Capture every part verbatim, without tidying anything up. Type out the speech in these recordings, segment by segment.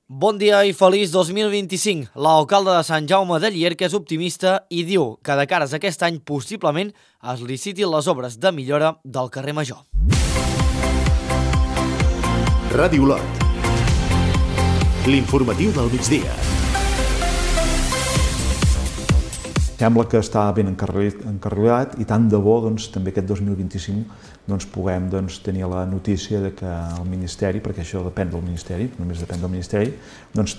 Bon dia i feliç dos mil vint-i-cinc. L'alcalde de Sant Jaume de Llierca és optimista i diu que de cares a aquest any possiblement es licitin les obres de millora del carrer Major. Ràdio Lot. L'informatiu del migdia. Sembla que està ben encarrilat i tant de bo doncs, també aquest dos mil vint-i-cinc doncs, puguem doncs, tenir la notícia de que el Ministeri, perquè això depèn del Ministeri, només depèn del Ministeri, doncs,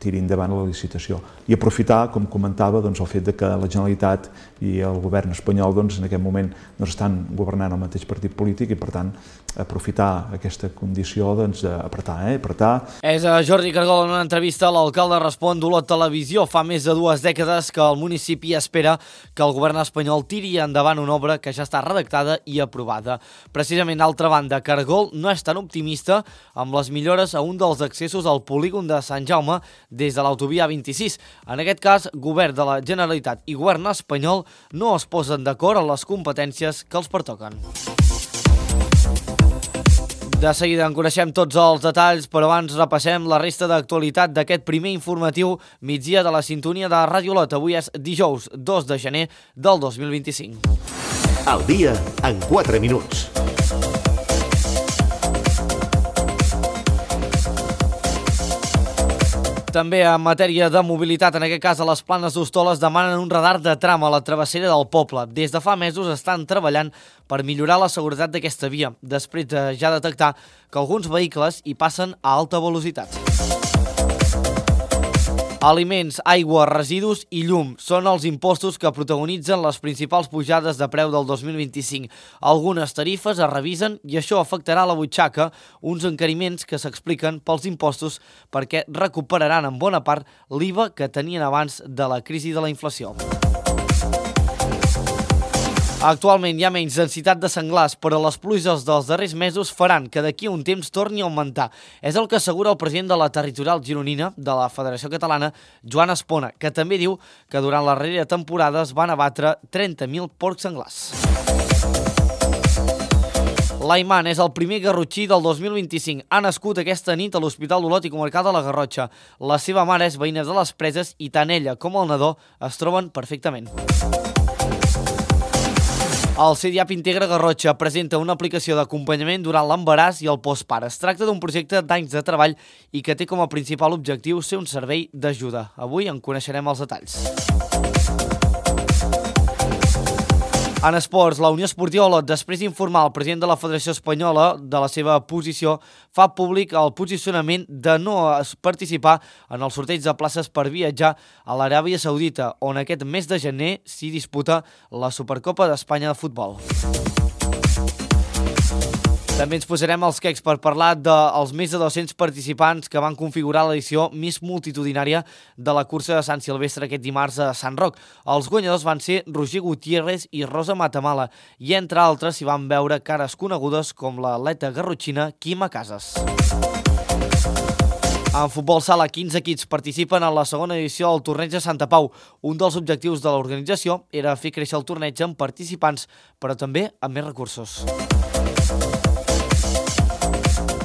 tiri endavant la licitació. I aprofitar, com comentava, doncs, el fet de que la Generalitat i el govern espanyol doncs, en aquest moment doncs, estan governant el mateix partit polític i, per tant, aprofitar aquesta condició doncs, d'apretar, eh? apretar. És a Jordi Cargol en una entrevista. L'alcalde respon d'Olot Televisió. Fa més de dues dècades que el municipi espera que el govern espanyol tiri endavant una obra que ja està redactada i aprovada. Precisament, d'altra banda, Cargol no és tan optimista amb les millores a un dels accessos al polígon de Sant Jaume des de l'autovia vint-i-sis. En aquest cas, govern de la Generalitat i govern espanyol no es posen d'acord en les competències que els pertoquen. De seguida en coneixem tots els detalls, però abans repassem la resta d'actualitat d'aquest primer informatiu migdia de la sintonia de Ràdio Lot. Avui és dijous dos de gener del dos mil vint-i-cinc. Al dia en quatre minuts. També en matèria de mobilitat, en aquest cas a les Planes d'Hostoles, demanen un radar de tram a la travessera del poble. Des de fa mesos estan treballant per millorar la seguretat d'aquesta via, després de ja detectar que alguns vehicles hi passen a alta velocitat. Aliments, aigua, residus i llum són els impostos que protagonitzen les principals pujades de preu del dos mil vint-i-cinc. Algunes tarifes es revisen i això afectarà la butxaca, uns encariments que s'expliquen pels impostos perquè recuperaran en bona part l'I V A que tenien abans de la crisi de la inflació. Actualment hi ha menys densitat de senglars, però les pluges dels darrers mesos faran que d'aquí a un temps torni a augmentar. És el que assegura el president de la territorial gironina de la Federació Catalana, Joan Espona, que també diu que durant la darrera temporada es van abatre trenta mil porcs senglars. L'Aiman és el primer garrotxí del dos mil vint-i-cinc. Ha nascut aquesta nit a l'Hospital d'Olot i Comarcal de la Garrotxa. La seva mare és veïna de les Preses i tant ella com el nadó es troben perfectament. El C D A P Integra Garrotxa presenta una aplicació d'acompanyament durant l'embaràs i el postpart. Es tracta d'un projecte d'anys de treball i que té com a principal objectiu ser un servei d'ajuda. Avui en coneixerem els detalls. En esports, la Unió Esportiva Olot, després d'informar el president de la Federació Espanyola de la seva posició, fa públic el posicionament de no participar en el sorteig de places per viatjar a l'Aràbia Saudita, on aquest mes de gener s'hi disputa la Supercopa d'Espanya de futbol. També ens posarem els quecs per parlar dels més de dos-cents participants que van configurar l'edició Miss Multitudinària de la cursa de Sant Silvestre aquest dimarts a Sant Roc. Els guanyadors van ser Roger Gutiérrez i Rosa Matamala i, entre altres, s'hi van veure cares conegudes com l'atleta garrotxina Quima Casas. En futbol sala, quinze equips participen en la segona edició del torneig de Santa Pau. Un dels objectius de l'organització era fer créixer el torneig amb participants, però també amb més recursos.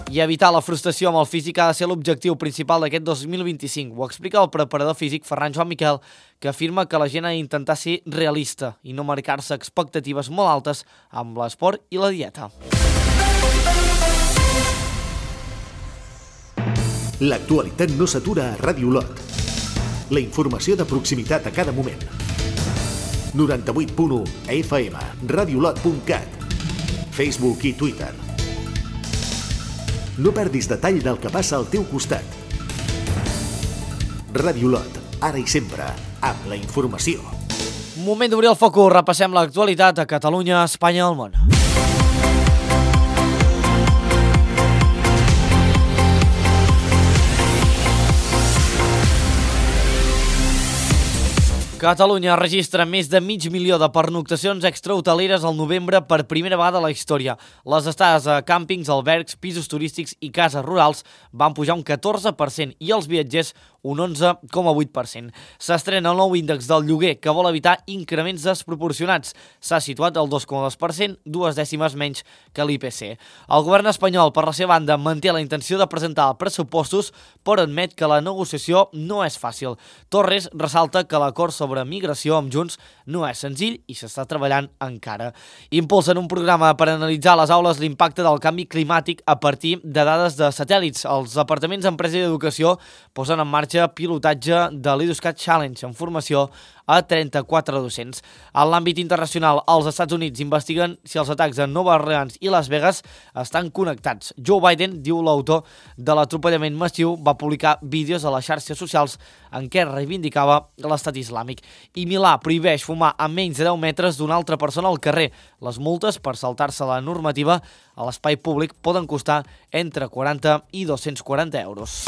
I evitar la frustració amb el físic ha de ser l'objectiu principal d'aquest dos mil vint-i-cinc. Ho explica el preparador físic Ferran Joan Miquel, que afirma que la gent ha d'intentar ser realista i no marcar-se expectatives molt altes amb l'esport i la dieta. L'actualitat no s'atura a Ràdio Lot. La informació de proximitat a cada moment. noranta-vuit punt u F M, radiolot punt cat, Facebook i Twitter. No perdis detall del que passa al teu costat. Ràdio Lot, ara i sempre, amb la informació. Moment d'obrir el focus, repassem l'actualitat a Catalunya, Espanya i el món. Catalunya registra més de mig milió de pernoctacions extrahoteleres al novembre per primera vegada a la història. Les estades a càmpings, albergs, pisos turístics i cases rurals van pujar un catorze per cent i els viatgers un onze coma vuit per cent. S'estrena el nou índex del lloguer que vol evitar increments desproporcionats. S'ha situat al dos coma dos per cent, dues dècimes menys que l'I P C. El govern espanyol, per la seva banda, manté la intenció de presentar pressupostos, però admet que la negociació no és fàcil. Torres ressalta que l'acord sobre sobre migració amb Junts no és senzill i s'està treballant encara. Impulsen un programa per analitzar a les aules l'impacte del canvi climàtic a partir de dades de satèl·lits. Els departaments d'Empresa i d'Educació posen en marxa pilotatge de l'EduScat Challenge en formació a trenta-quatre docents. En l'àmbit internacional, els Estats Units investiguen si els atacs a Nova Orleans i Las Vegas estan connectats. Joe Biden, diu l'autor de l'atropellament massiu, va publicar vídeos a les xarxes socials en què reivindicava l'estat islàmic. I Milà prohibeix fumar a menys de deu metres d'una altra persona al carrer. Les multes per saltar-se la normativa a l'espai públic poden costar entre quaranta i dos-cents quaranta euros.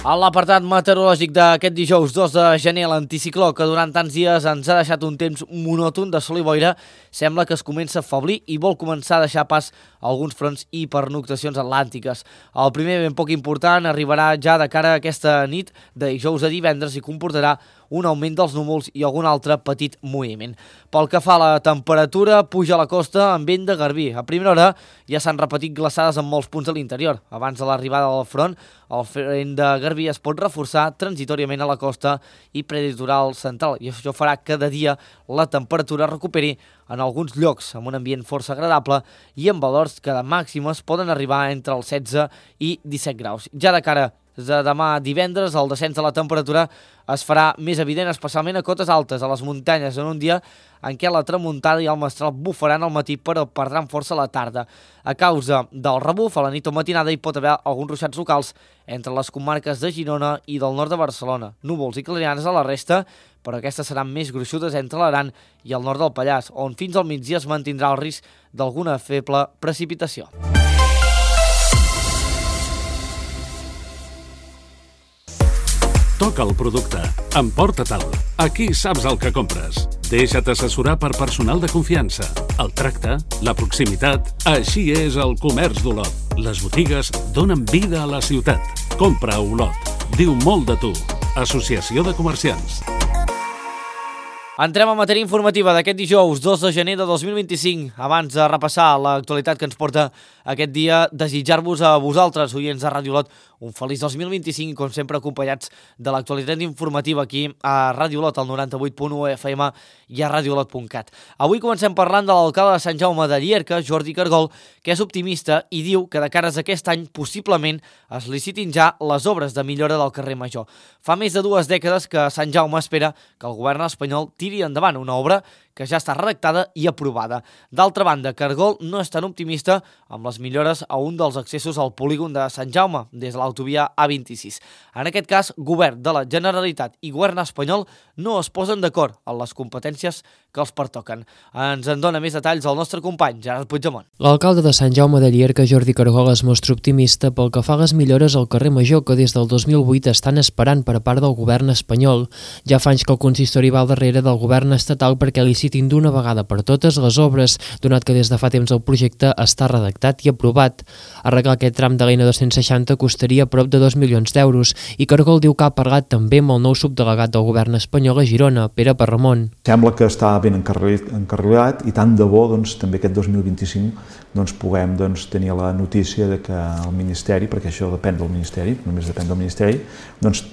A l'apartat meteorològic d'aquest dijous dos de gener, l'anticicló que durant tants dies ens ha deixat un temps monòton de sol i boira sembla que es comença a afeblir i vol començar a deixar pas a alguns fronts i pernoctacions atlàntiques. El primer, ben poc important, arribarà ja de cara a aquesta nit de dijous a divendres i comportarà un augment dels núvols i algun altre petit moviment. Pel que fa a la temperatura, puja a la costa amb vent de garbí. A primera hora ja s'han repetit glaçades en molts punts de l'interior. Abans de l'arribada del front, el vent de garbí es pot reforçar transitoriament a la costa i preditoral central, i això farà que cada dia la temperatura recuperi en alguns llocs amb un ambient força agradable i amb valors que de màximes poden arribar entre els setze i disset graus. Ja de cara de demà divendres, el descens de la temperatura es farà més evident, especialment a cotes altes, a les muntanyes, en un dia en què la tramuntada i el mestral bufaran al matí però perdran força a la tarda. A causa del rebuf, a la nit o matinada hi pot haver alguns ruixats locals entre les comarques de Girona i del nord de Barcelona. Núvols i clarianes a la resta, però aquestes seran més gruixudes entre l'Aran i el nord del Pallars, on fins al migdia es mantindrà el risc d'alguna feble precipitació. Toca el producte. Emporta-te'l. Aquí saps el que compres. Deixa't assessorar per personal de confiança. El tracte, la proximitat, així és el comerç d'Olot. Les botigues donen vida a la ciutat. Compra a Olot. Diu molt de tu. Associació de Comerciants. Entrem a matèria informativa d'aquest dijous dos de gener de dos mil vint-i-cinc. Abans de repassar l'actualitat que ens porta aquest dia, desitjar-vos a vosaltres, oients de Ràdio Olot, un feliç dos mil vint-i-cinc, com sempre acompanyats de l'actualitat informativa aquí a Ràdio Olot, al noranta-vuit punt u F M i a radiolot punt cat. Avui comencem parlant de l'alcalde de Sant Jaume de Llierca, Jordi Cargol, que és optimista i diu que de cares a aquest any possiblement es licitin ja les obres de millora del carrer Major. Fa més de dues dècades que Sant Jaume espera que el govern espanyol tiri endavant una obra que ja està redactada i aprovada. D'altra banda, Cargol no és tan optimista amb les millores a un dels accessos al polígon de Sant Jaume, des de l'autovia A vint-i-sis. En aquest cas, govern de la Generalitat i govern espanyol no es posen d'acord en les competències que els pertoquen. Ens en dona més detalls el nostre company, Gerard Puigdemont. L'alcalde de Sant Jaume de Llierca, Jordi Cargol, es mostra optimista pel que fa a les millores al carrer Major que des del dos mil vuit estan esperant per part del govern espanyol. Ja fa anys que el consistori va al darrere del govern estatal perquè licitin d'una vegada per totes les obres, donat que des de fa temps el projecte està redactat i aprovat. Arreglar aquest tram de l'N dos-cents seixanta costaria prop de dos milions d'euros i Cargol diu que ha parlat també amb el nou subdelegat del govern espanyol a Girona, Pere Parramon. Sembla que està ben encarrilat i tant de bo doncs, també aquest dos mil vint-i-cinc doncs, puguem doncs, tenir la notícia de que el Ministeri, perquè això depèn del Ministeri, només depèn del Ministeri, doncs,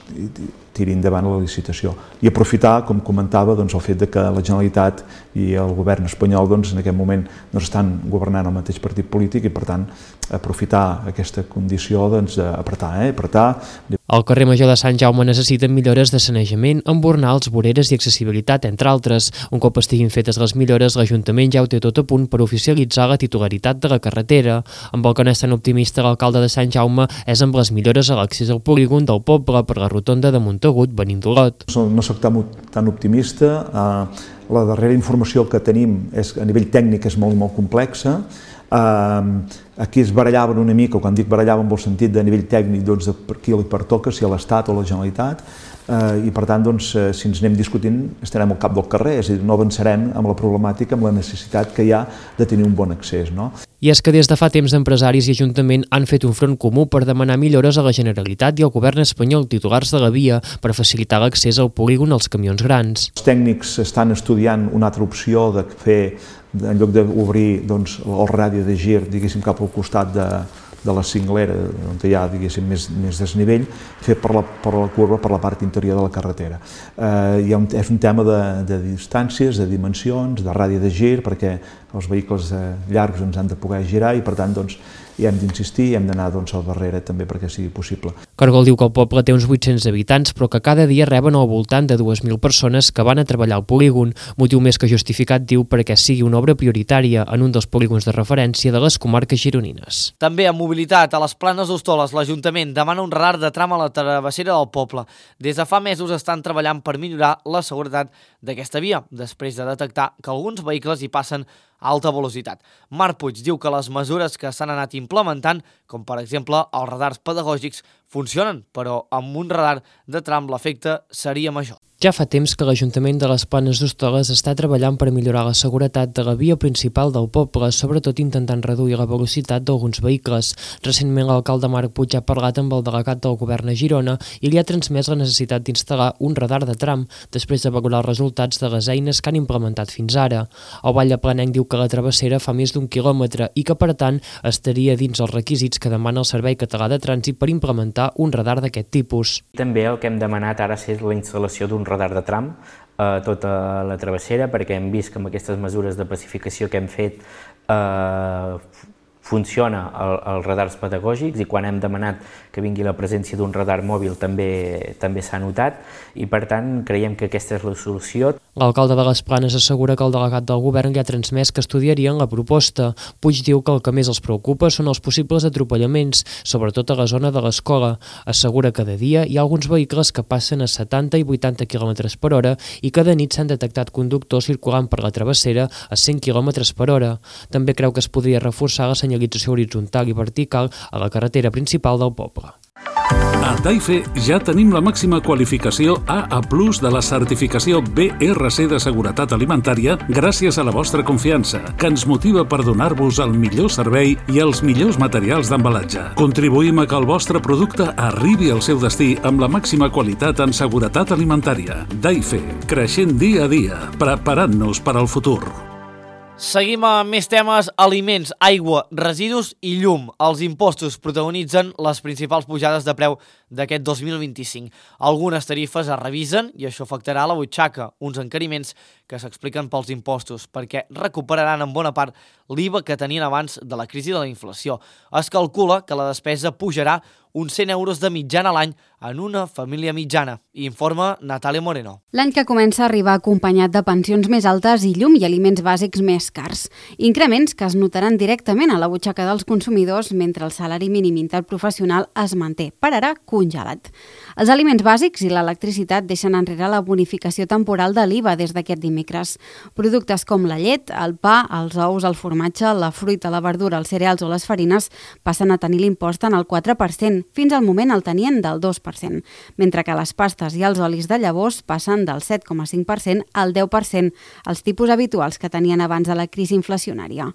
tiri endavant la licitació. I aprofitar, com comentava, doncs, el fet de que la Generalitat i el govern espanyol doncs, en aquest moment doncs, estan governant el mateix partit polític i, per tant, aprofitar aquesta condició doncs, d'apretar, eh? apretar El carrer Major de Sant Jaume necessita millores de sanejament, embornals, voreres i accessibilitat, entre altres. Un cop estiguin fetes les millores, l'Ajuntament ja ho té tot a punt per oficialitzar la titularitat de la carretera. Amb el que no és tan optimista l'alcalde de Sant Jaume és amb les millores a l'accés al polígon del poble per la rotonda de Montagut, venint d'Olot. No soc tan, tan optimista. La darrera informació que tenim és, a nivell tècnic és molt, molt complexa. Uh, aquí es barallaven una mica, quan dic barallaven en el sentit de nivell tècnic, doncs, de per qui li pertoca, si a l'Estat o a la Generalitat, uh, i per tant, doncs, uh, si ens anem discutint, estarem al cap del carrer, és a dir, no avançarem amb la problemàtica, amb la necessitat que hi ha de tenir un bon accés, no? I és que des de fa temps empresaris i Ajuntament han fet un front comú per demanar millores a la Generalitat i al govern espanyol titulars de la via per facilitar l'accés al polígon als camions grans. Els tècnics estan estudiant una altra opció de fer, en lloc d'obrir doncs, el radi de gir, diguéssim, cap al costat de, de la cinglera, on hi ha, diguéssim, més, més desnivell, fer per la, per la curva, per la part interior de la carretera. Eh, hi ha un, és un tema de, de distàncies, de dimensions, de radi de gir, perquè els vehicles eh, llargs ens han de poder girar i, per tant, doncs, hi hem d'insistir i hem d'anar doncs, al darrere també perquè sigui possible. Cargol diu que el poble té uns vuit-cents habitants, però que cada dia reben al voltant de dues mil persones que van a treballar al polígon, motiu més que justificat, diu, perquè sigui una obra prioritària en un dels polígons de referència de les comarques gironines. També amb mobilitat, a les Planes d'Hostoles, l'Ajuntament demana un radar de tram a la travessera del poble. Des de fa mesos estan treballant per millorar la seguretat d'aquesta via, després de detectar que alguns vehicles hi passen a alta velocitat. Marc Puig diu que les mesures que s'han anat implementant, com per exemple els radars pedagògics, funcionen, però amb un radar de tram l'efecte seria major. Ja fa temps que l'Ajuntament de les Planes d'Hostoles està treballant per millorar la seguretat de la via principal del poble, sobretot intentant reduir la velocitat d'alguns vehicles. Recentment l'alcalde Marc Puig ha parlat amb el delegat del govern a Girona i li ha transmès la necessitat d'instal·lar un radar de tram després de valorar els resultats de les eines que han implementat fins ara. El Valleplanenc diu que la travessera fa més d'un quilòmetre i que, per tant, estaria dins els requisits que demana el Servei Català de Trànsit per implementar un radar d'aquest tipus. També el que hem demanat ara és la instal·lació d'un radar de tram a tota la travessera, perquè hem vist que amb aquestes mesures de pacificació que hem fet eh, funciona el, els radars pedagògics, i quan hem demanat que vingui la presència d'un radar mòbil també també s'ha notat, i per tant creiem que aquesta és la solució. L'alcalde de les Planes assegura que el delegat del govern li ha transmès que estudiarien la proposta. Puig diu que el que més els preocupa són els possibles atropellaments, sobretot a la zona de l'escola. Assegura que de dia hi ha alguns vehicles que passen a setanta i vuitanta quilòmetres per hora i que de nit s'han detectat conductors circulant per la travessera a cent quilòmetres per hora. També creu que es podria reforçar la senyalització horitzontal i vertical a la carretera principal del poble. A Taife ja tenim la màxima qualificació A A plus de la certificació B R C de seguretat alimentària gràcies a la vostra confiança, que ens motiva per donar-vos el millor servei i els millors materials d'embalatge. Contribuïm a que el vostre producte arribi al seu destí amb la màxima qualitat en seguretat alimentària. Taife, creixent dia a dia, preparant-nos per al futur. Seguim amb més temes: aliments, aigua, residus i llum. Els impostos protagonitzen les principals pujades de preu d'aquest dos mil vint-i-cinc. Algunes tarifes es revisen i això afectarà la butxaca, uns encariments que s'expliquen pels impostos, perquè recuperaran en bona part l'I V A que tenien abans de la crisi de la inflació. Es calcula que la despesa pujarà uns cent euros de mitjana a l'any en una família mitjana, informa Natàlia Moreno. L'any que comença a arribar acompanyat de pensions més altes i llum i aliments bàsics més cars. Increments que es notaran directament a la butxaca dels consumidors mentre el salari mínim interprofessional es manté, per ara congelat. Els aliments bàsics i l'electricitat deixen enrere la bonificació temporal de l'I V A des d'aquest dimecres. Productes com la llet, el pa, els ous, el formatge, la fruita, la verdura, els cereals o les farines passen a tenir l'impost en el quatre per cent. Fins al moment el tenien del dos per cent, mentre que les pastes i els olis de llavors passen del set coma cinc per cent al deu per cent, els tipus habituals que tenien abans de la crisi inflacionària.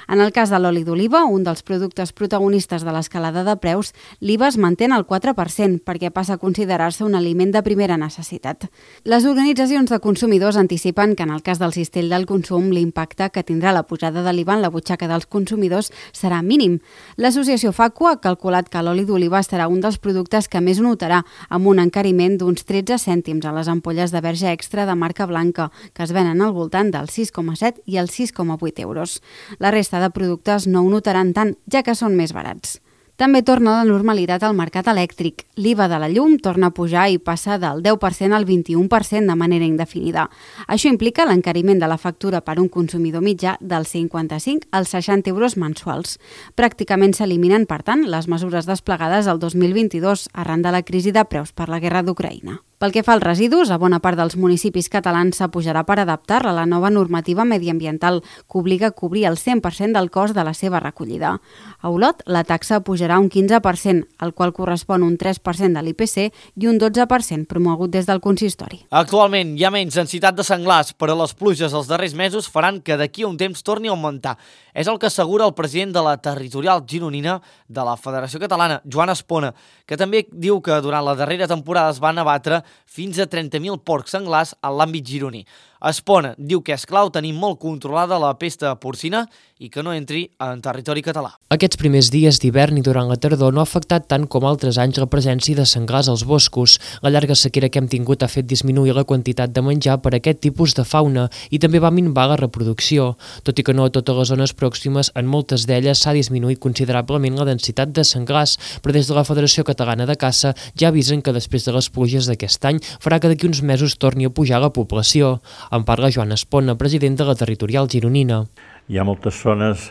En el cas de l'oli d'oliva, un dels productes protagonistes de l'escalada de preus, l'I V A es manté en el quatre per cent perquè passa a considerar-se un aliment de primera necessitat. Les organitzacions de consumidors anticipen que en el cas del cistell del consum l'impacte que tindrà la pujada de l'I V A en la butxaca dels consumidors serà mínim. L'associació Facua ha calculat que l'oli d'oliva serà un dels productes que més notarà, amb un encariment d'uns tretze cèntims a les ampolles de verge extra de marca blanca, que es venen al voltant dels sis coma set i els sis coma vuit euros. La resta de productes no ho notaran tant, ja que són més barats. També torna a la normalitat al mercat elèctric. L'I V A de la llum torna a pujar i passa del deu per cent al vint-i-un per cent de manera indefinida. Això implica l'encariment de la factura per un consumidor mitjà dels cinquanta-cinc als seixanta euros mensuals. Pràcticament s'eliminen, per tant, les mesures desplegades el dos mil vint-i-dos arran de la crisi de preus per la guerra d'Ucraïna. Pel que fa als residus, a bona part dels municipis catalans s'apujarà per adaptar-la a la nova normativa mediambiental que obliga a cobrir el cent per cent del cost de la seva recollida. A Olot, la taxa pujarà un quinze per cent, al qual correspon un tres per cent de l'I P C i un dotze per cent promogut des del consistori. Actualment hi ha menys densitat de senglars, però les pluges els darrers mesos faran que d'aquí a un temps torni a augmentar. És el que assegura el president de la territorial gironina de la Federació Catalana, Joan Espona, que també diu que durant la darrera temporada es van abatre fins a trenta mil porcs senglars en l'àmbit gironí. Espona diu que és clau tenir molt controlada la pesta porcina i que no entri en territori català. Aquests primers dies d'hivern i durant la tardor no ha afectat tant com altres anys la presència de senglars als boscos. La llarga sequera que hem tingut ha fet disminuir la quantitat de menjar per a aquest tipus de fauna i també va minvar la reproducció. Tot i que no a totes les zones pròximes, en moltes d'elles s'ha disminuït considerablement la densitat de senglars, però des de la Federació Catalana de Caça ja avisen que després de les pluges d'aquest any farà que d'aquí uns mesos torni a pujar la població. En parla Joan Espona, president de la territorial gironina. Hi ha moltes zones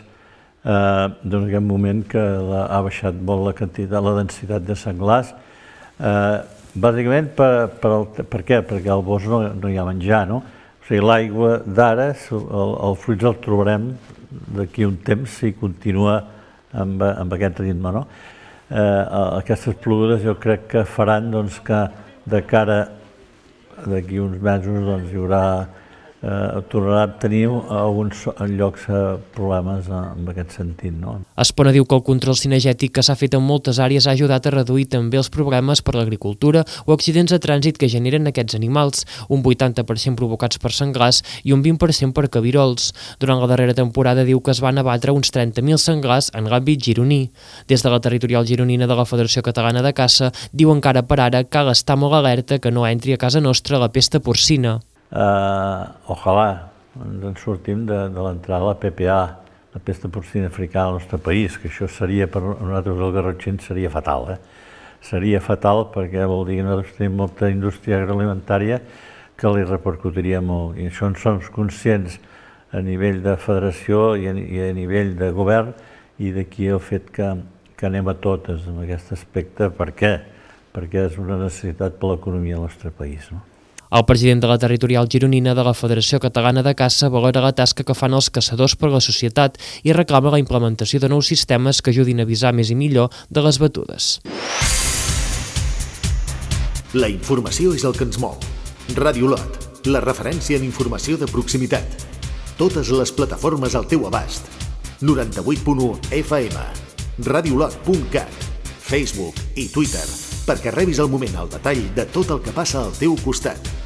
eh, en aquest moment que la, ha baixat molt la quantitat, la densitat de senglars, eh, bàsicament per, per, el, per què? Perquè al bosc no, no hi ha menjar, no? O sigui, l'aigua d'ara, el, el fruits el trobarem d'aquí un temps si continua amb, amb aquest ritme, no? Eh, aquestes pluges jo crec que faran doncs, que de cara d'aquí uns mesos doncs, hi haurà Eh, tornarà a tenir alguns llocs eh, problemes en aquest sentit. No? Espona diu que el control cinegètic que s'ha fet en moltes àrees ha ajudat a reduir també els problemes per l'agricultura o accidents de trànsit que generen aquests animals, un vuitanta per cent provocats per senglars i un vint per cent per cabirols. Durant la darrera temporada diu que es van abatre uns trenta mil senglars en l'àmbit gironí. Des de la territorial gironina de la Federació Catalana de Caça diu encara per ara cal estar molt alerta que no entri a casa nostra la pesta porcina. Uh, ojalà ens en sortim de, de l'entrada de la P P A, la pesta porcina africana al nostre país, que això seria per nosaltres els garrotxins seria fatal. Eh? Seria fatal perquè vol dir que nosaltres tenim molta indústria agroalimentària que li repercutiria molt. I això en som conscients a nivell de federació i a, i a nivell de govern, i d'aquí el fet que, que anem a totes en aquest aspecte. Per què? Perquè és una necessitat per l'economia del nostre país. No? El president de la territorial gironina de la Federació Catalana de Caça valora la tasca que fan els caçadors per la societat i reclama la implementació de nous sistemes que ajudin a avisar més i millor de les batudes. La informació és el que ens mou. Ràdio Olot, la referència en informació de proximitat. Totes les plataformes al teu abast. noranta-vuit punt u F M, radiolot punt cat, Facebook i Twitter, perquè rebis al moment el detall de tot el que passa al teu costat.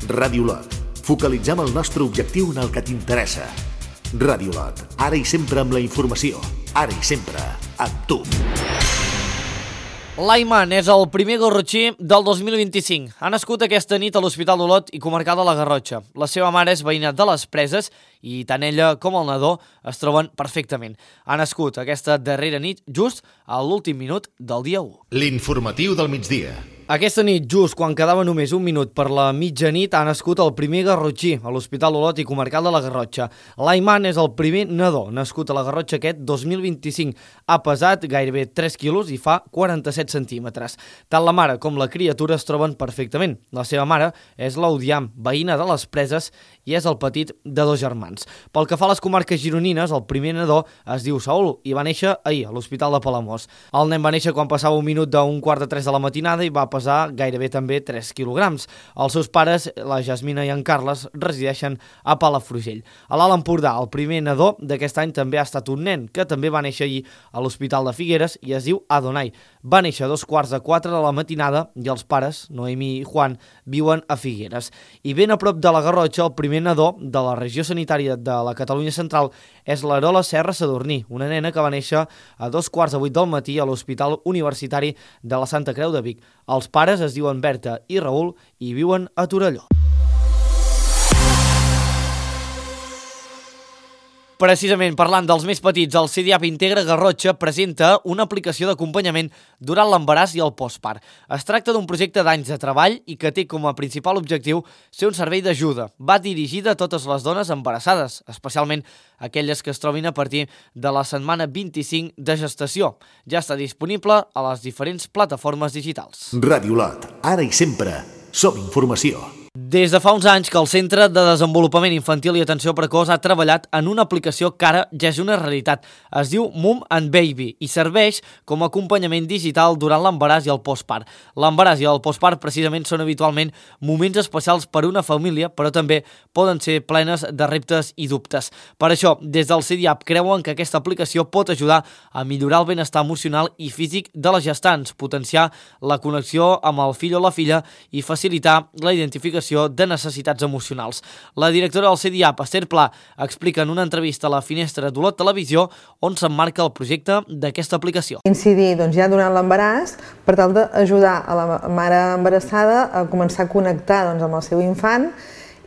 Ràdio Olot. Focalitzem el nostre objectiu en el que t'interessa. Ràdio Olot. Ara i sempre amb la informació. Ara i sempre amb tu. L'Aiman és el primer garrotxí del dos mil vint-i-cinc. Ha nascut aquesta nit a l'Hospital d'Olot i comarcal de la Garrotxa. La seva mare és veïna de les Preses i tant ella com el nadó es troben perfectament. Ha nascut aquesta darrera nit just a l'últim minut del dia u. L'informatiu del migdia. Aquesta nit, just quan quedava només un minut per la mitjanit, ha nascut el primer garrotxí a l'Hospital Olot i comarcal de la Garrotxa. L'Aiman és el primer nadó nascut a la Garrotxa aquest dos mil vint-i-cinc. Ha pesat gairebé tres quilos i fa quaranta-set centímetres. Tant la mare com la criatura es troben perfectament. La seva mare és l'Audiam, veïna de les Preses, i és el petit de dos germans. Pel que fa a les comarques gironines, el primer nadó es diu Saúl i va néixer ahir a l'Hospital de Palamós. El nen va néixer quan passava un minut d'un quart de tres de la matinada i va pesar gairebé també tres quilograms. Els seus pares, la Jasmina i en Carles, resideixen a Palafrugell. A l'Alt Empordà, el primer nadó d'aquest any també ha estat un nen, que també va néixer ahir a l'Hospital de Figueres i es diu Adonai. Va néixer a dos quarts de quatre de la matinada i els pares, Noemi i Juan, viuen a Figueres. I ben a prop de la Garrotxa, el primer nadó de la regió sanitària de la Catalunya Central és l'Arola Serra Sadurní, una nena que va néixer a dos quarts de vuit del matí a l'Hospital Universitari de la Santa Creu de Vic. Els pares es diuen Berta i Raül i viuen a Torelló. Precisament parlant dels més petits, el C D A P Integra Garrotxa presenta una aplicació d'acompanyament durant l'embaràs i el postpart. Es tracta d'un projecte d'anys de treball i que té com a principal objectiu ser un servei d'ajuda. Va dirigida a totes les dones embarassades, especialment aquelles que es trobin a partir de la setmana vint-i-cinc de gestació. Ja està disponible a les diferents plataformes digitals. Ràdio Lot, ara i sempre, som informació. Des de fa uns anys que el Centre de Desenvolupament Infantil i Atenció Precoç ha treballat en una aplicació que ara ja és una realitat. Es diu Mum and Baby i serveix com a acompanyament digital durant l'embaràs i el postpart. L'embaràs i el postpart precisament són habitualment moments especials per a una família, però també poden ser plenes de reptes i dubtes. Per això, des del C D A P creuen que aquesta aplicació pot ajudar a millorar el benestar emocional i físic de les gestants, potenciar la connexió amb el fill o la filla i facilitar la identificació de necessitats emocionals. La directora del C D A P, Esther Pla, explica en una entrevista a la Finestra d'Olot Televisió on s'emmarca el projecte d'aquesta aplicació. Incidir doncs, ja durant l'embaràs per tal d'ajudar a la mare embarassada a començar a connectar doncs, amb el seu infant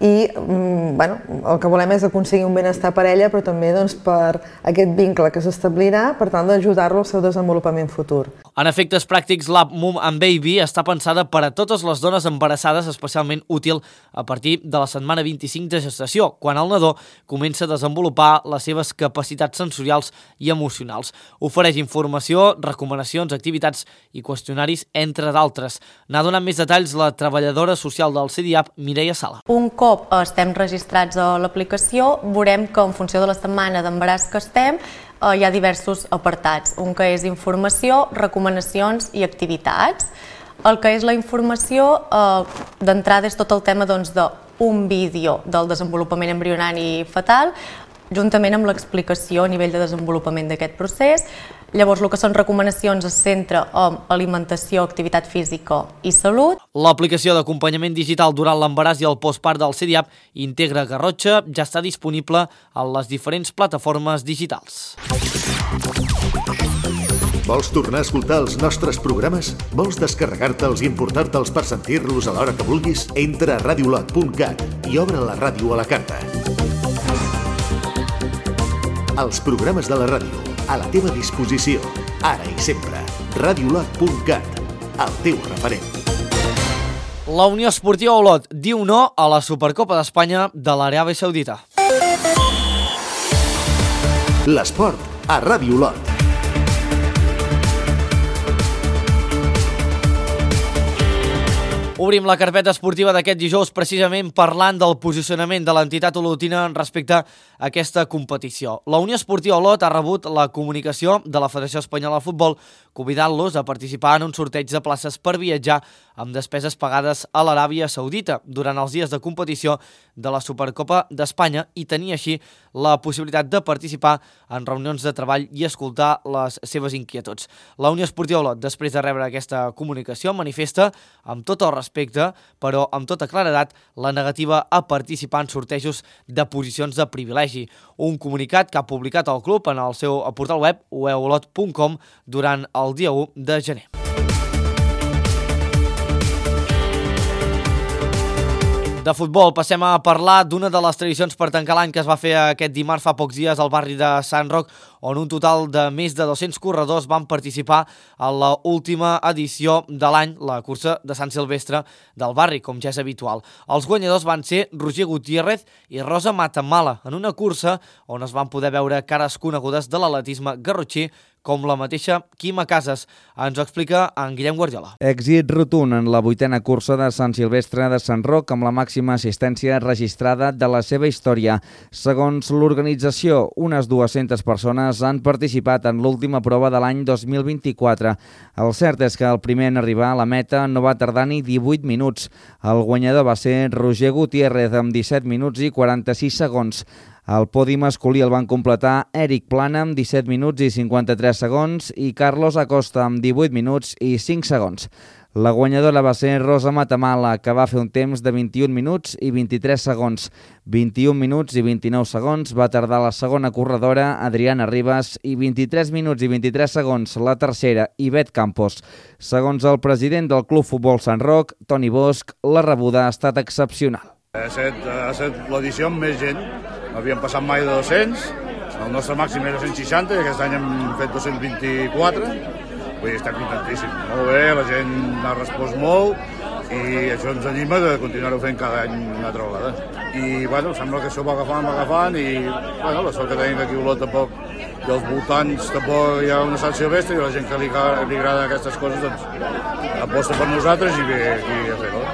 i bueno, el que volem és aconseguir un benestar per ella, però també doncs, per aquest vincle que s'establirà per tal d'ajudar-lo al seu desenvolupament futur. En efectes pràctics, l'app Mum and Baby està pensada per a totes les dones embarassades, especialment útil a partir de la setmana vint-i-cinc de gestació, quan el nadó comença a desenvolupar les seves capacitats sensorials i emocionals. Ofereix informació, recomanacions, activitats i qüestionaris, entre d'altres. N'ha donat més detalls la treballadora social del C D A P, Mireia Sala. Un cop estem registrats a l'aplicació, veurem que en funció de la setmana d'embaràs que estem, hi ha diversos apartats. Un que és informació, recomanacions i activitats. El que és la informació, d'entrada és tot el tema d'un vídeo del desenvolupament embrionari fetal, juntament amb l'explicació a nivell de desenvolupament d'aquest procés. Llavors, el que són recomanacions es centra en alimentació, activitat física i salut. L'aplicació d'acompanyament digital durant l'embaràs i el postpart del C D A P Integra Garrotxa ja està disponible a les diferents plataformes digitals. Vols tornar a escoltar els nostres programes? Vols descarregar-te'ls i importar-te'ls per sentir-los a l'hora que vulguis? Entra a radiolot punt cat i obre la ràdio a la carta. Els programes de la ràdio, a la teva disposició, ara i sempre. radiolot punt cat, el teu referent. La Unió Esportiva Olot diu no a la Supercopa d'Espanya de l'Aràbia Saudita. L'esport a Ràdio Olot. Obrim la carpeta esportiva d'aquest dijous precisament parlant del posicionament de l'entitat olotina respecte a aquesta competició. La Unió Esportiva Olot ha rebut la comunicació de la Federació Espanyola de Futbol convidant-los a participar en un sorteig de places per viatjar amb despeses pagades a l'Aràbia Saudita durant els dies de competició de la Supercopa d'Espanya i tenir així la possibilitat de participar en reunions de treball i escoltar les seves inquietuds. La Unió Esportiva Olot, després de rebre aquesta comunicació, manifesta amb tot el respecte, però amb tota claredat, la negativa a participar en sortejos de posicions de privilegi. Un comunicat que ha publicat el club en el seu portal web u e olot punt com durant el dia u de gener. De futbol passem a parlar d'una de les tradicions per tancar l'any que es va fer aquest dimarts fa pocs dies al barri de Sant Roc, on un total de més de dos-cents corredors van participar a l'última edició de l'any, la cursa de Sant Silvestre del barri, com ja és habitual. Els guanyadors van ser Roger Gutiérrez i Rosa Matamala, en una cursa on es van poder veure cares conegudes de l'atletisme garrotxí, com la mateixa Quima Casas. Ens ho explica en Guillem Guardiola. Èxit rotund en la vuitena cursa de Sant Silvestre de Sant Roc amb la màxima assistència registrada de la seva història. Segons l'organització, unes dues-centes persones han participat en l'última prova de l'any dos mil vint-i-quatre. El cert és que el primer en arribar a la meta no va tardar ni divuit minuts. El guanyador va ser Roger Gutiérrez amb disset minuts i quaranta-sis segons. El podi masculí el van completar Eric Plana amb disset minuts i cinquanta-tres segons i Carlos Acosta amb divuit minuts i cinc segons. La guanyadora va ser Rosa Matamala, que va fer un temps de vint-i-un minuts i vint-i-tres segons. vint-i-un minuts i vint-i-nou segons va tardar la segona corredora, Adriana Ribas, i vint-i-tres minuts i vint-i-tres segons la tercera, Ivet Campos. Segons el president del Club Futbol Sant Roc, Toni Bosch, la rebuda ha estat excepcional. Ha estat, ha estat l'edició amb més gent. No havíem passat mai de dos-cents El nostre màxim era cent seixanta i aquest any hem fet dos-cents vint-i-quatre. Vull dir, estem contentíssims. Molt bé, la gent ha respost molt i això ens anima de continuar-ho fent cada any una altra vegada. I, bueno, sembla que això va agafant, va agafant i, bueno, la sort que tenim aquí a Olot tampoc, dels voltants tampoc hi ha una sanció bèstia i la gent que li, li agrada aquestes coses, doncs, aposta per nosaltres i ve aquí a fer-ho.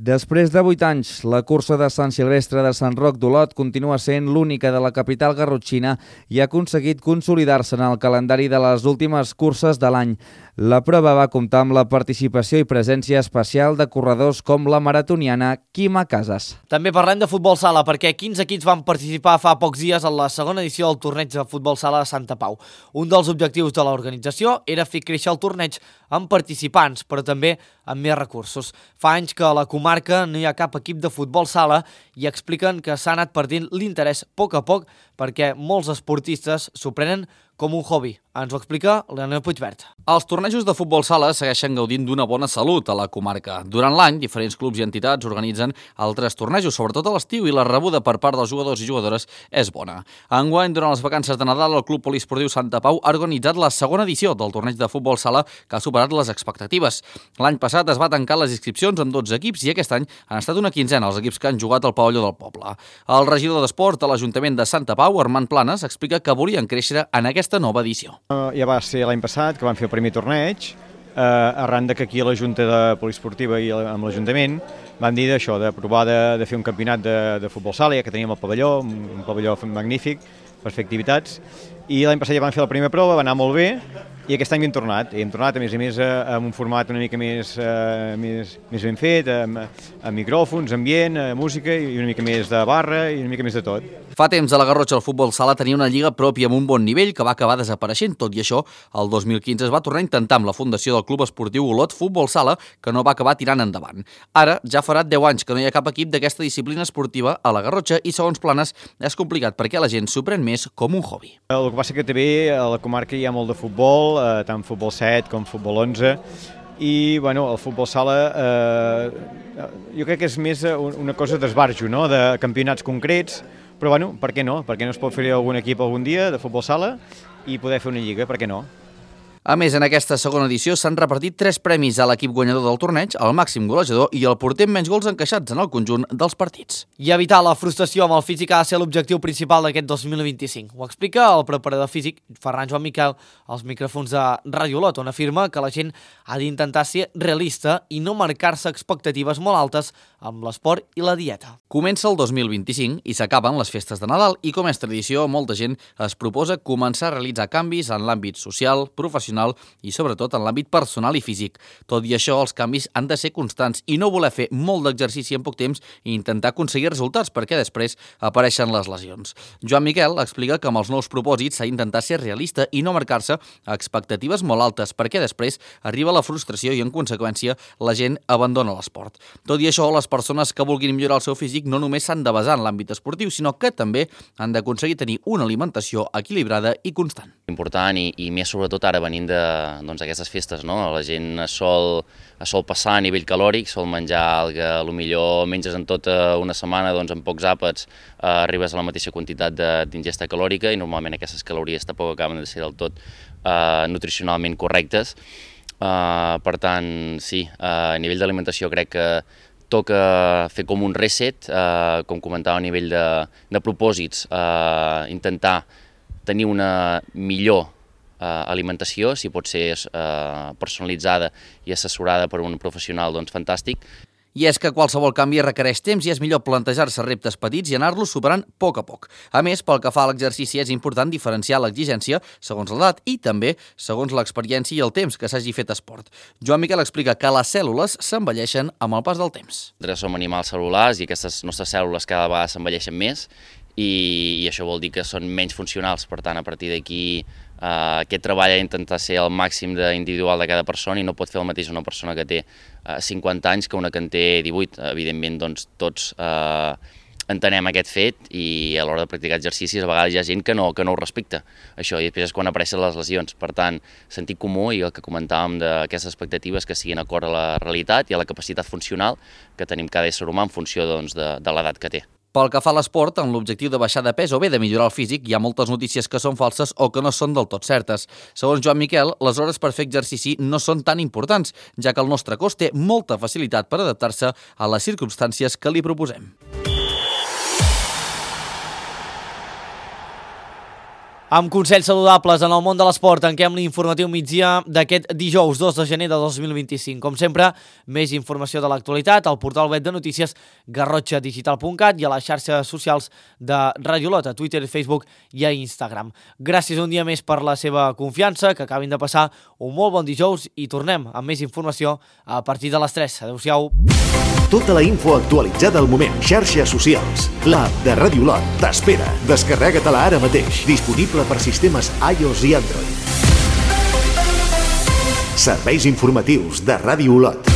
Després de vuit anys, la cursa de Sant Silvestre de Sant Roc d'Olot continua sent l'única de la capital garrotxina i ha aconseguit consolidar-se en el calendari de les últimes curses de l'any. La prova va comptar amb la participació i presència especial de corredors com la maratoniana Quima Casas. També parlem de futbol sala, perquè quinze equips van participar fa pocs dies en la segona edició del torneig de futbol sala de Santa Pau. Un dels objectius de l'organització era fer créixer el torneig amb participants, però també amb més recursos. Fa anys que a la comarca no hi ha cap equip de futbol sala i expliquen que s'ha anat perdent l'interès a poc a poc perquè molts esportistes s'ho prenen com un hobby. Ens ho explica Leonel Puigvert. Els tornejos de futbol sala segueixen gaudint d'una bona salut a la comarca. Durant l'any, diferents clubs i entitats organitzen altres tornejos, sobretot a l'estiu, i la rebuda per part dels jugadors i jugadores és bona. Enguany, durant les vacances de Nadal, el Club Poliesportiu Santa Pau ha organitzat la segona edició del torneig de futbol sala que ha superat les expectatives. L'any passat es va tancar les inscripcions amb dotze equips i aquest any han estat una quinzena els equips que han jugat al pavelló del poble. El regidor d'Esports de l'Ajuntament de Santa Pau, Armand Planes, explica que volien créixer en aquesta nova edició. Ja va ser l'any passat que vam fer el primer torneig, eh, arran de que aquí a la Junta de Poliesportiva i amb l'Ajuntament vam dir d'això, de provar de, de fer un campionat de, de futbol sala, ja que teníem el pavelló, un, un pavelló magnífic per fer activitats, i l'any passat ja vam fer la primera prova, va anar molt bé, i aquest any hem tornat, i hem tornat a més a més amb un format una mica més, eh, més, més ben fet, amb, amb micròfons, ambient, música i una mica més de barra i una mica més de tot. Fa temps a la Garrotxa el futbol sala tenia una lliga pròpia amb un bon nivell que va acabar desapareixent. Tot i això, el dos mil quinze es va tornar a intentar amb la fundació del Club Esportiu Olot Futbol Sala, que no va acabar tirant endavant. Ara ja farà deu anys que no hi ha cap equip d'aquesta disciplina esportiva a la Garrotxa i, segons Planes, és complicat perquè la gent s'ho pren més com un hobby. El que passa que també a la comarca hi ha molt de futbol, eh, tant futbol set com futbol onze, i bueno, el futbol sala eh, jo crec que és més una cosa d'esbarjo, no? De campionats concrets, però bueno, per què no? Per què no es pot fer algun equip algun dia de futbol sala i poder fer una lliga, per què no? A més, en aquesta segona edició s'han repartit tres premis a l'equip guanyador del torneig, el màxim golejador i el porter amb menys gols encaixats en el conjunt dels partits. I evitar la frustració amb el físic ha de ser l'objectiu principal d'aquest dos mil vint-i-cinc. Ho explica el preparador físic Ferran Joan Miquel als micròfons de Ràdio Olot, on afirma que la gent ha d'intentar ser realista i no marcar-se expectatives molt altes amb l'esport i la dieta. Comença el dos mil vint-i-cinc i s'acaben les festes de Nadal i, com és tradició, molta gent es proposa començar a realitzar canvis en l'àmbit social, professional i sobretot en l'àmbit personal i físic. Tot i això, els canvis han de ser constants i no voler fer molt d'exercici en poc temps i intentar aconseguir resultats perquè després apareixen les lesions. Joan Miquel explica que amb els nous propòsits s'ha d'intentar ser realista i no marcar-se expectatives molt altes perquè després arriba la frustració i, en conseqüència, la gent abandona l'esport. Tot i això, les persones que vulguin millorar el seu físic no només s'han de basar en l'àmbit esportiu, sinó que també han d'aconseguir tenir una alimentació equilibrada i constant. Important i, i més sobretot ara venint d'aquestes doncs, festes, no? La gent es sol, es sol passar a nivell calòric, sol menjar el que potser menges en tota una setmana, doncs en pocs àpats eh, arribes a la mateixa quantitat d'ingesta calòrica i normalment aquestes calories tampoc acaben de ser del tot eh, nutricionalment correctes. Eh, per tant, sí, eh, a nivell d'alimentació crec que toca fer com un reset, eh, com comentava a nivell de, de propòsits, eh, intentar tenir una millor eh, alimentació, si pot ser eh, personalitzada i assessorada per un professional, doncs fantàstic. I és que qualsevol canvi requereix temps i és millor plantejar-se reptes petits i anar-los superant a poc a poc. A més, pel que fa a l'exercici, és important diferenciar l'exigència segons l'edat i també segons l'experiència i el temps que s'hagi fet esport. Joan Miquel explica que les cèl·lules s'envelleixen amb el pas del temps. Som animals cel·lulars i aquestes nostres cèl·lules cada vegada s'envelleixen més i, i això vol dir que són menys funcionals. Per tant, a partir d'aquí, Uh, aquest treball ha d'intentar ser el màxim individual de cada persona i no pot fer el mateix una persona que té uh, cinquanta anys que una que en té divuit. Evidentment, doncs, tots uh, entenem aquest fet i a l'hora de practicar exercicis a vegades hi ha gent que no, que no ho respecta. Això, i després és quan apareixen les lesions. Per tant, sentit comú i el que comentàvem d'aquestes expectatives que siguin acord a la realitat i a la capacitat funcional que tenim cada ésser humà en funció doncs, de, de l'edat que té. Pel que fa a l'esport, amb l'objectiu de baixar de pes o bé de millorar el físic, hi ha moltes notícies que són falses o que no són del tot certes. Segons Joan Miquel, les hores per fer exercici no són tan importants, ja que el nostre cos té molta facilitat per adaptar-se a les circumstàncies que li proposem. Amb consells saludables en el món de l'esport, tanquem l'informatiu migdia d'aquest dijous dos de gener de dos mil vint-i-cinc. Com sempre, més informació de l'actualitat al portal web de notícies garrotxa digital punt cat i a les xarxes socials de Ràdio Olot, a Twitter, Facebook i a Instagram. Gràcies un dia més per la seva confiança, que acabin de passar un molt bon dijous i tornem amb més informació a partir de les tres. Adéu-siau. Tota la info actualitzada al moment. Xarxes socials. L'app de Ràdio Olot t'espera. Descarrega-te-la ara mateix. Disponible per sistemes iOS i Android. Serveis informatius de Ràdio Olot.